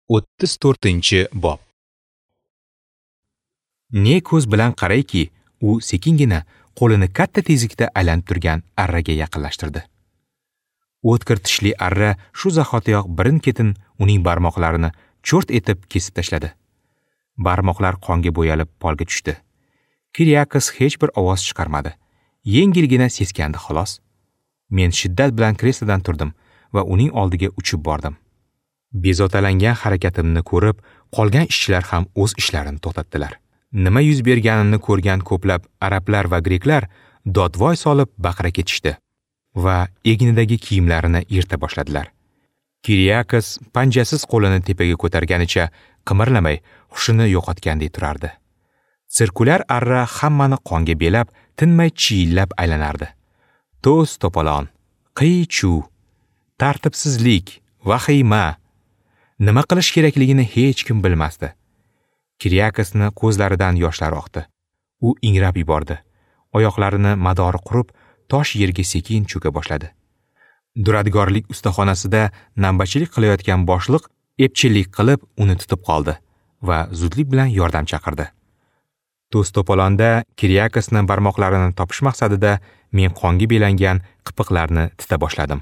34-bob. Ne ko'z bilan qarayki, u sekingina qo'lini katta tezlikda aylanib turgan arraga yaqinlashtirdi. O'tkir tishli arra shu zahotiyoq birin-ketin uning barmoqlarini cho'rt etib kesib tashladi. Barmoqlar qonga bo'yalib polga tushdi. Kiryakos hech bir ovoz chiqarmadi. Yengilgina seskandi xolos. Men shiddat bilan kreslodan turdim va uning oldiga uchib bordim. Bezovtalangan harakatimni ko'rib, qolgan ishchilar ham o'z ishlarini to'xtatdilar. Nima yuz berganini ko'rgan ko'plab arablar va greklar dodvoy solib baqira ketishdi va egnidagi kiyimlarini yirta boshladilar. Kiryakos panjasiz qo'lini tepaga ko'targanicha qimirlamay, hushini yo'qotgandek turardi. Sirkulyar arra hammani qonga belab, tinmay chiyillab aylanardi. To's to'polon, qiy-chuv, tartibsizlik, vahima. Nima qilish kerakligini hech kim bilmasdi. Kiryakosni ko'zlaridan yoshlar oqdi. U ingrab yubordi. Oyoqlarini madori qurib, tosh yerga sekin cho'ka boshladi. Duradgorlik ustaxonasida navbatchilik qilayotgan boshliq epchillik qilib uni tutib qoldi va zudlik bilan yordam chaqirdi. To's to'polonda Kiryakosni barmoqlarini topish maqsadida men qonga belangan qipiqlarni tita boshladim.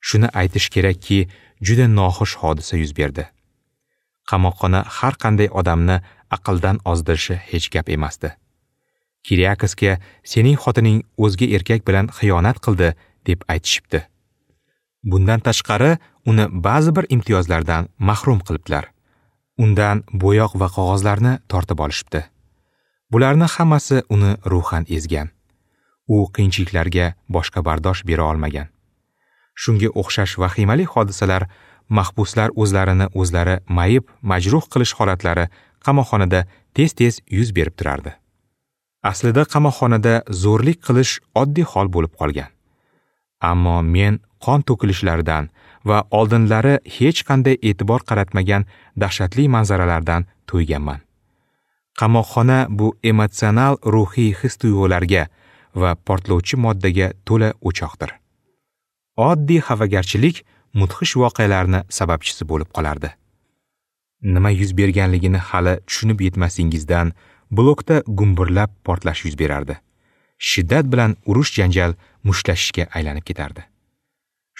Shuni aytish kerakki, juda noxush hodisa yuz berdi. Qamoqxona har qanday odamni aqldan ozdirishi hech gap emasdi. Kiryakosga sening xotining o'zga erkak bilan xiyonat qildi deb aytishibdi. Bundan tashqari uni ba'zi bir imtiyozlardan mahrum qilibdilar. Undan bo'yoq va qog'ozlarni tortib olishibdi. Bularni hammasi uni ruhan ezgan. U qiyinchiliklarga boshqa bardosh bera olmagan. Shunga o'xshash vahimali hodisalar, mahbuslar o'zlarini o'zlari mayib, majruh qilish holatlari qamoqxonada tez-tez yuz berib turardi. Aslida qamoqxonada zo'rlik qilish oddiy hol bo'lib qolgan. Ammo men qon to'kilishlaridan va oldinlari hech qanday e'tibor qaratmagan dahshatli manzaralardan to'yganman. Qamoqxona bu emotsional ruhiy his-tuyg'ularga va portlovchi moddaga to'la o'choqdir. Oddiy xafagarchilik mudhish voqealarni sababchisi bo'lib qolardi. Nima yuz berganligini hali tushunib yetmasingizdan blokda gumburlab portlash yuz berardi. Shiddat bilan urush janjal mushtlashishga aylanib ketardi.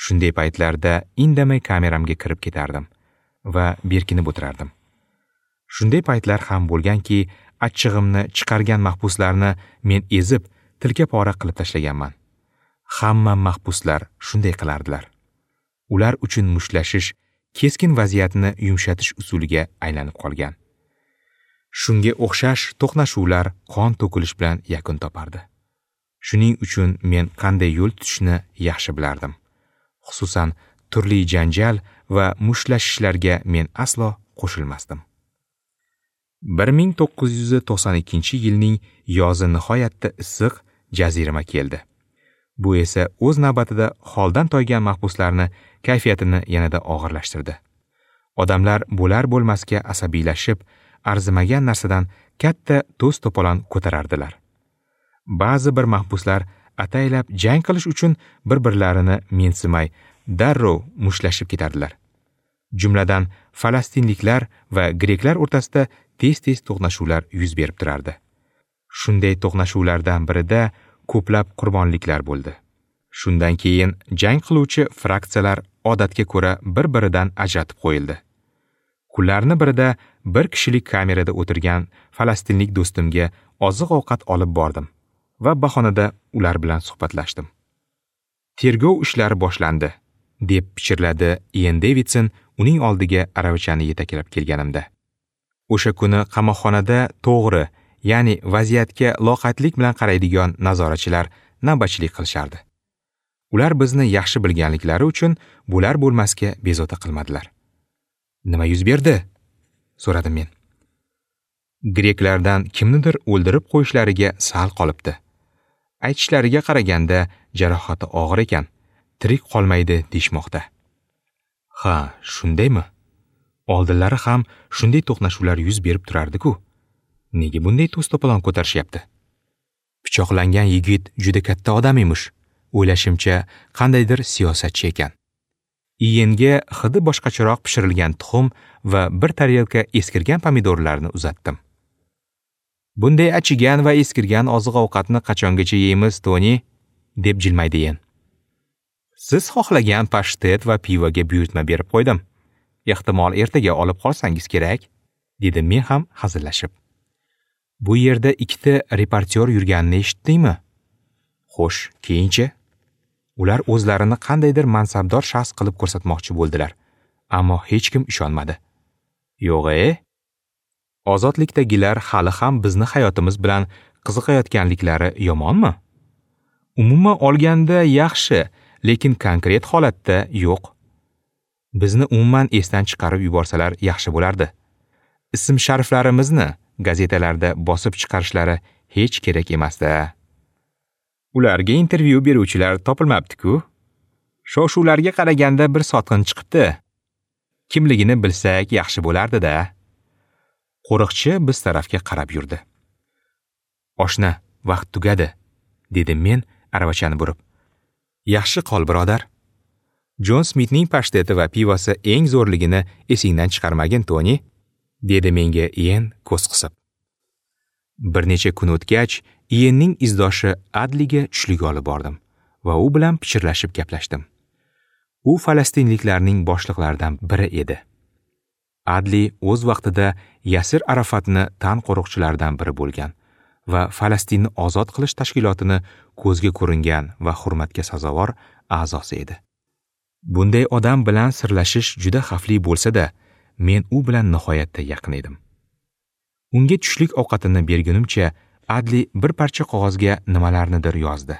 Shunday paytlarda indamay kameramga kirib ketardim va berkinib o'tirardim. Shunday paytlar ham bo'lganki, achchig'imni chiqargan mahbuslarni men ezib, tilka pora qilib tashlaganman. Hamma mahbuslar shunday qilardilar. Ular uchun mushtlashish keskin vaziyatni yumshatish usuliga aylanib qolgan. Shunga o'xshash to'qnashuvlar qon to'kilish bilan yakun topardi. Shuning uchun men qanday yo'l tutishni yaxshi bilardim. Xususan, turli janjal va mushtlashishlarga men aslo qo'shilmasdim. 1992-yilning yozi nihoyatda issiq, jazirama keldi. Bu esa o'z navbatida holdan toygan mahbuslarni kayfiyatini yanada og'irlashtirdi. Odamlar bo'lar bo'lmasga asabiylashib, arzimagan narsadan katta to's to'polon ko'tarardilar. Ba'zi bir mahbuslar ataylab jang qilish uchun bir-birlarini mensimay, darrov mushtlashib ketardilar. Jumladan, falastinliklar va greklar o'rtasida tez-tez to'qnashuvlar yuz berib turardi. Shunday to'qnashuvlardan birida ko'plab qurbonliklar bo'ldi. Shundan keyin jang qiluvchi fraksiyalar odatga ko'ra bir-biridan ajratib qo'yildi. Kunlarni birida bir kishilik kamerada o'tirgan falastinlik do'stimga oziq-ovqat olib bordim va bahonada ular bilan suhbatlashdim. Tergov ishlari boshlandi, deb pichirladi Ian Davidson uning oldiga aravachani yetaklab kelganimda. O'sha kuni qamoqxonada to'g'ri, ya'ni vaziyatga loqaydlik bilan qaraydigan nazoratchilar navbatchilik qilishardi. Ular bizni yaxshi bilganliklari uchun bular bo'lmasga bezovta qilmadilar. Nima yuz berdi? So'radim men. Greklardan kimnidir o'ldirib qo'yishlariga sal qolibdi. Aytishlariga qaraganda jarohati og'ir ekan, tirik qolmaydi deyishmoqda. Ha, shundaymi? Oldinlari ham shunday to'qnashuvlar yuz berib turardi-ku. Nega bunday to's to'polon ko'tarishyapti? Pichoqlangan yigit juda katta odam emish. O'ylashimcha, qandaydir siyosatchi ekan. Iyenga hidi boshqacharoq pishirilgan tuxum va bir tarelka eskirgan pomidorlarni uzatdim. Bunday achigan va eskirgan oziq-ovqatni qachongacha yeymiz, Toni? Deb jilmaydi Iyen. Siz xohlagan pashtet va pivoga buyurtma berib qo'ydim. Ehtimol ertaga olib qolsangiz kerak, dedim men ham hazillashib. Bu yerda ikkita reportyor yurganini eshitdingmi? Xo'sh, keyinchi? Ular o'zlarini qandaydir mansabdor shaxs qilib ko'rsatmoqchi bo'ldilar, ammo hech kim ishonmadi. Yo'g'-e? Ozodlikdagilar hali ham bizni hayotimiz bilan qiziqayotganliklari yomonmi? Umuman olganda yaxshi, lekin konkret holatda yo'q. Bizni umuman esdan chiqarib yuborsalar yaxshi bo'lardi. Ism-shariflarimizni gazetalarda bosib chiqarishlari hech kerak emasda. Ularga intervyu beruvchilar topilmabdi-ku. Shov-shuvlarga qaraganda bir sotqin chiqibdi. Kimligini bilsak yaxshi bo'lardi-da. Qo'riqchi biz tarafga qarab yurdi. Oshna, vaqt tugadi, dedim men aravachani burib. Yaxshi qol, birodar. Jon Smitning pashteti va pivosi eng zo'rligini esingdan chiqarmagin, Toni, dedi menga Iyen ko'z qisib. Bir necha kun o'tgach, Iyenning izdoshi Adliga tushlik olib bordim va u bilan pichirlashib gaplashdim. U falastinliklarning boshliqlaridan biri edi. Adli o'z vaqtida Yasir Arafatni tan qo'riqchilaridan biri bo'lgan va Falastinni ozod qilish tashkilotini ko'zga ko'ringan va hurmatga sazovor a'zosi edi. Bunday odam bilan sirlashish juda xavfli bo'lsa-da, men u bilan nihoyatda yaqin edim. Unga tushlik ovqatini bergunimcha Adli bir parcha qog'ozga nimalarnidir yozdi.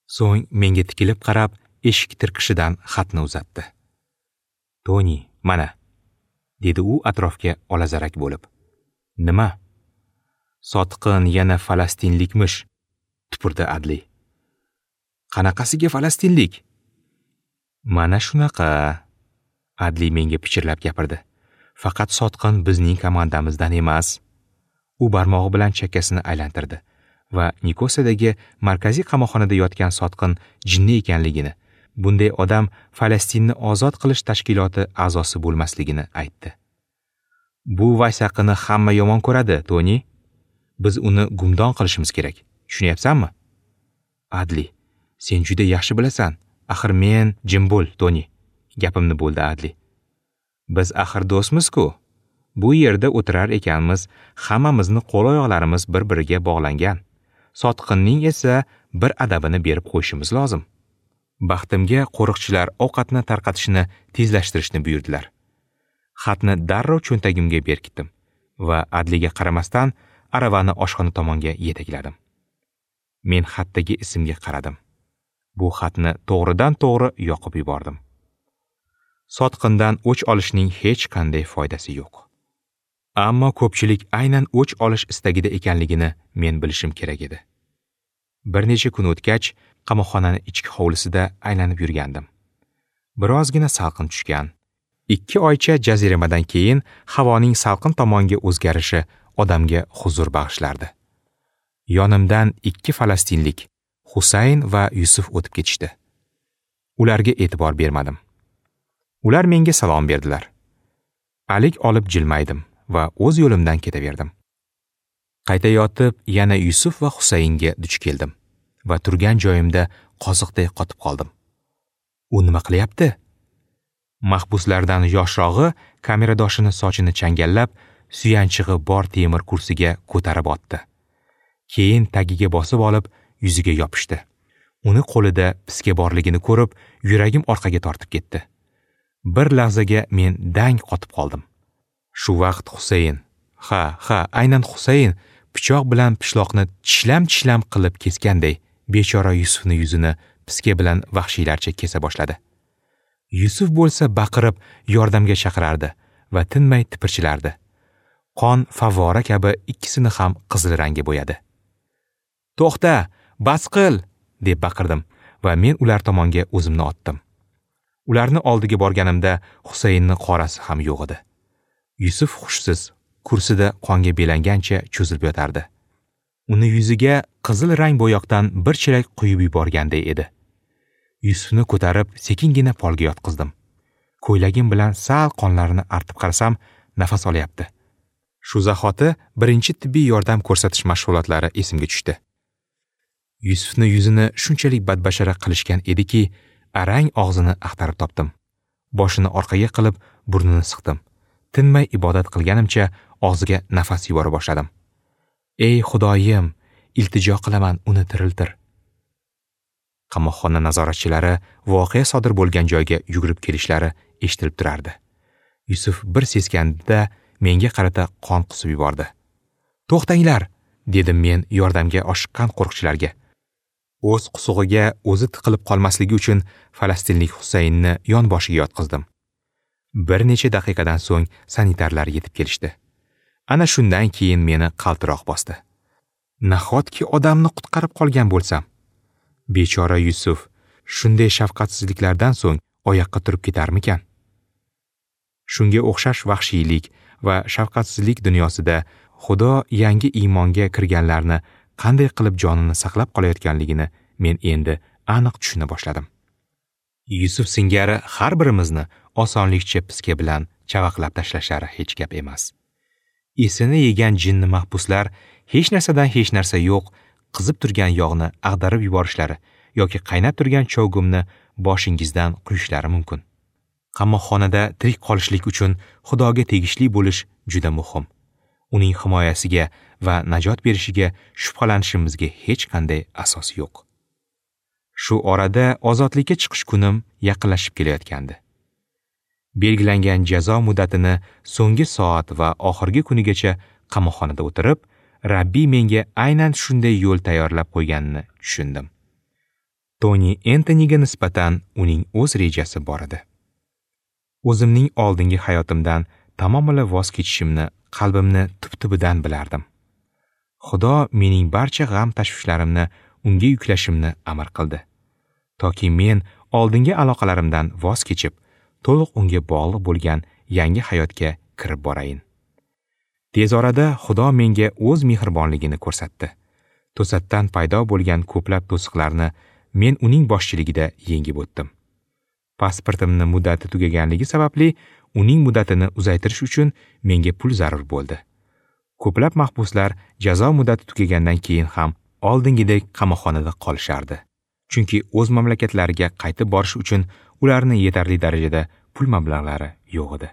So'ng menga tikilib qarab, eshik tirqishidan xatni uzatdi. Toni, mana, dedi u atrofga olazarak bo'lib. Nima? Sotqin yana falastinlikmish, tupurdi Adli. Qanaqasiga falastinlik? Mana shunaqa, Adli menga pichirlab gapirdi. Faqat sotqin bizning komandamizdan emas. U barmog'i bilan chakkasini aylantirdi va Nikosadagi markaziy qamoqxonada yotgan sotqin jinni ekanligini, bunday odam Falastinni ozod qilish tashkiloti a'zosi bo'lmasligini aytdi. Bu vaysaqini hamma yomon ko'radi, Toni. Biz uni gumdon qilishimiz kerak. Tushunyapsanmi? Adli, sen juda yaxshi bilasan. Axir men jim bo'l, Toni. Gapimni bo'ldi Adli. Biz axir do'stmiz-ku. Bu yerda o'tirar ekanmiz, hammamizni qo'l-oyoqlarimiz bir-biriga bog'langan. Sotqinning esa bir adabini berib qo'yishimiz lozim. Baxtimga qo'riqchilar ovqatni tarqatishni tezlashtirishni buyurdilar. Xatni darrov cho'ntagimga berkitdim va Adliga qaramasdan aravani oshxona tomonga yetakladim. Men xatdagi ismga qaradim. Bu xatni to'g'ridan-to'g'ri yoqib yubordim. Sotqindan o'ch olishning hech qanday foydasi yo'q. Ammo ko'pchilik aynan o'ch olish istagida ekanligini men bilishim kerak edi. Bir necha kun o'tgach, qamoqxonaning ichki hovlisida aylanib yurgandim. Birozgina salqin tushgan. 2 oycha jaziramadan keyin havoning salqin tomonga o'zgarishi odamga huzur bag'ishlardi. Yonimdan 2 falastinlik, Husayn va Yusuf o'tib ketishdi. Ularga e'tibor bermadim. Ular menga salom berdilar. Alik olib jilmaydim va o'z yo'limdan ketaverdim. Qaytayotib yana Yusuf va Husaynga duch keldim va turgan joyimda qoziqday qotib qoldim. U nima qilyapti? Mahbuslardan yoshrog'i kameradoshini sochini changallab, suyanchig'i bor temir kursiga ko'tarib otdi. Keyin tagiga bosib olib, yuziga yopishdi. Uni qo'lida piska borligini ko'rib, yuragim orqaga tortib ketdi. Bir lahzaga men dang qotib qoldim. Shu vaqt Husayn, ha, aynan Husayn pichoq bilan pishloqni tishlam-tishlam qilib kesganday, bechora Yusufni yuzini piska bilan vahshiylarcha kesa boshladi. Yusuf bo'lsa baqirib yordamga chaqirardi va tinmay tipirchilardi. Qon favvora kabi ikkisini ham qizil rangga bo'yadi. "To'xta, bas qil!" deb baqirdim va men ular tomonga o'zimni otdim. Ularni oldiga borganimda Husaynning qorasi ham yo'q edi. Yusuf hushsiz, kursida qonga belangancha cho'zilib yotardi. Uni yuziga qizil rang bo'yoqdan bir chelak quyib yuborganday edi. Yusufni ko'tarib sekingina polga yotqizdim. Ko'ylagim bilan sal qonlarini artib qarasam, nafas olyapti. Shu zahoti birinchi tibbiy yordam ko'rsatish mashg'ulotlari esimga tushdi. Yusufni yuzini shunchalik badbashara qilishgan ediki, arang og'zini axtarib topdim. Boshini orqaga qilib, burnini siqdim. Tinmay ibodat qilganimcha og'ziga nafas yubora boshladim. Ey Xudoyim, iltijo qilaman, uni tiriltir. Qamoqxona nazoratchilari voqea sodir bo'lgan joyga yugurib kelishlari eshitilib turardi. Yusuf bir seskandida menga qarata qon qusib yubordi. "To'xtanglar!" dedim men yordamga oshiqqan qo'riqchilarga. O'z qusug'iga o'zi tiqilib qolmasligi uchun falastinlik Husaynni yonboshiga yotqizdim. Bir necha daqiqadan so'ng sanitarlar yetib kelishdi. Ana shundan keyin meni qaltiroq bosdi. Nahotki odamni qutqarib qolgan bo'lsam? Bechora Yusuf shunday shafqatsizliklardan so'ng oyoqqa turib ketarmikan? Shunga o'xshash vahshiylik va shafqatsizlik dunyosida Xudo yangi iymonga kirganlarni qanday qilib jonini saqlab qolayotganligini men endi aniq tushuna boshladim. Yusuf singari har birimizni osonlikcha piska bilan chavaqlab tashlashlari hech gap emas. Esini yegan jinni mahbuslar hech narsadan hech narsa yo'q, qizib turgan yog'ni ag'darib yuborishlari yoki qaynab turgan chovgumni boshingizdan quyishlari mumkin. Qamoqxonada tirik qolishlik uchun Xudoga tegishli bo'lish juda muhim. Uning himoyasiga va najot berishiga shubhalanishimizga hech qanday asos yo'q. Shu orada ozodlikka chiqish kunim yaqinlashib kelayotgandi. Belgilangan jazo muddatini so'nggi soat va oxirgi kunigacha qamoqxonada o'tirib, Rabbiy menga aynan shunday yo'l tayyorlab qo'yganini tushundim. Toni Entoniga nisbatan uning o'z rejasi bor edi. O'zimning oldingi hayotimdan tamomila voz kechishimni qalbimni tub-tubidan bilardim. Xudo mening barcha g'am tashvishlarimni unga yuklashimni amr qildi. Toki men oldingi aloqalarimdan voz kechib, to'liq unga bog'liq bo'lgan yangi hayotga kirib borayin. Tez orada Xudo menga o'z mehribonligini ko'rsatdi. To'satdan paydo bo'lgan ko'plab to'siqlarni men uning boshchiligida yengib o'tdim. Pasportimni muddati tugaganligi sababli uning muddatini uzaytirish uchun menga pul zarur bo'ldi. Ko'plab mahbuslar jazo muddati tugagandan keyin ham oldingidek qamoqxonada qolishardi. Chunki o'z mamlakatlariga qaytib borish uchun ularni yetarli darajada pul mablag'lari yo'q edi.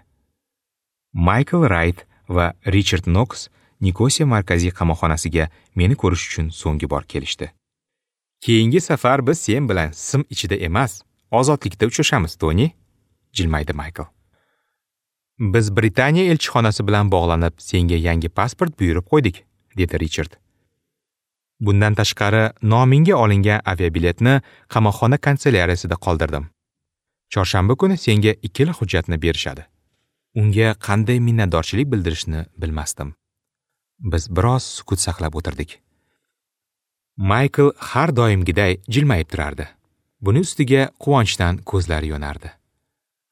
Michael Wright va Richard Knox Nikosiya markaziy qamoqxonasiga meni ko'rish uchun so'nggi bor kelishdi. Keyingi safar biz sen bilan sim ichida emas, ozodlikda uchrashamiz, Toni, jilmaydi Michael. Biz Britaniya elchixonasi bilan bog'lanib, senga yangi pasport buyurib qo'ydik, dedi Richard. Bundan tashqari, nomingga olingan aviabiletni qamoqxona kanselyariyasida qoldirdim. Chorshanba kuni senga ikkala hujjatni berishadi. Unga qanday minnatdorchilik bildirishni bilmasdim. Biz biroz sukut saqlab o'tirdik. Michael har doimgiday jilmayib turardi. Buni ustiga quvonchdan ko'zlari yonardi.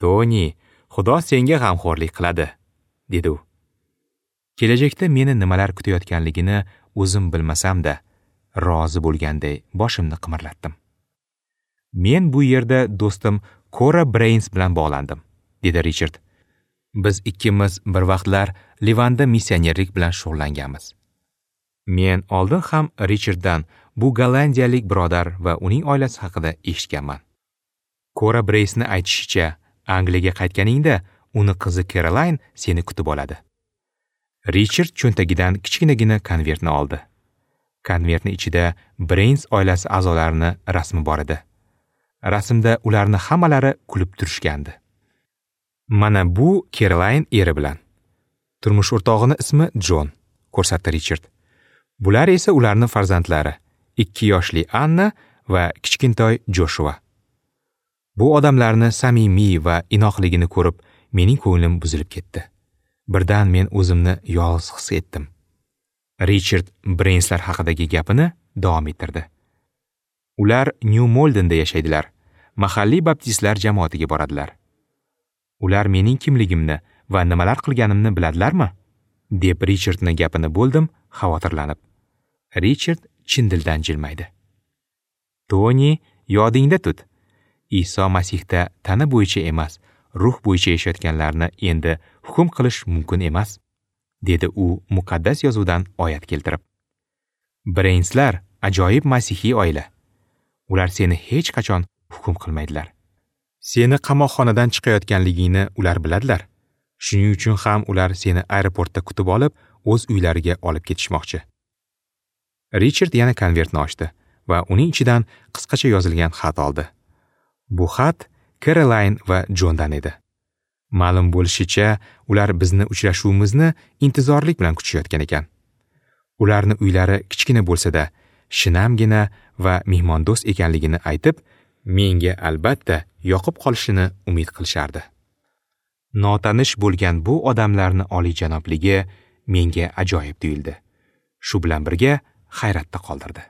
"Toni, Xudo senga g'amxo'rlik qiladi", dedi u. Kelajakda meni nimalar kutayotganligini o'zim bilmasam-da, rozi bo'lganday boshimni qimirlatdim. Men bu yerda do'stim Cora Brains bilan bog'landim, dedi Richard. Biz ikkimiz bir vaqtlar Livanda missionerlik bilan shug'ullanganmiz. Men oldin ham Richarddan bu gollandiyalik birodar va uning oilasi haqida eshitganman. Cora Brainsni aytishicha, Angliyaga qaytganingda uni qizi Caroline seni kutib oladi. Richard cho'ntagidan kichkinagina konvertni oldi. Konvertning ichida Brains oilasi a'zolarini rasmi bor edi. Rasmda ularni hammalari kulib turishgandi. Mana bu Caroline eri bilan. Turmush o'rtog'ini ismi John, ko'rsatdi Richard. Bular esa ularning farzandlari, 2 yoshli Anna va kichkintoy Joshua. Bu odamlarni samimiy va inoqligini ko'rib, mening ko'nglim buzilib ketdi. Birdan men o'zimni yolg'iz his etdim. Richard Brainslar haqidagi gapini davom ettirdi. Ular New Maldenda yashaydilar. Mahalliy baptistlar jamoatiga boradilar. Ular mening kimligimni va nimalar qilganimni biladilarmi? Deb Richardning gapini bo'ldim, xavotirlanib. Richard chin dildan jilmaydi. Toni, yodingda tut. Iso Masihda tana bo'yicha emas, Ruh bo'yicha yashayotganlarni endi hukm qilish mumkin emas, dedi u muqaddas yozuvdan oyat keltirib. Breynslar ajoyib masihiy oila. Ular seni hech qachon hukm qilmaydilar. Seni qamoqxonadan chiqayotganligingni ular biladilar. Shuning uchun ham ular seni aeroportda kutib olib, o'z uylariga olib ketishmoqchi. Richard yana konvertni ochdi va uning ichidan qisqacha yozilgan xat oldi. Bu xat Caroline va Jondan edi. Ma'lum bo'lishicha, ular bizni uchrashuvimizni intizorlik bilan kutishayotgan ekan. Ularni uylari kichkina bo'lsa-da, shinamgina va mehmondo'st ekanligini aytib, menga albatta yoqib qolishini umid qilishardi. Notanish bo'lgan bu odamlarni oliyjanobligi menga ajoyib tuyuldi. Shu bilan birga hayratda qoldirdi.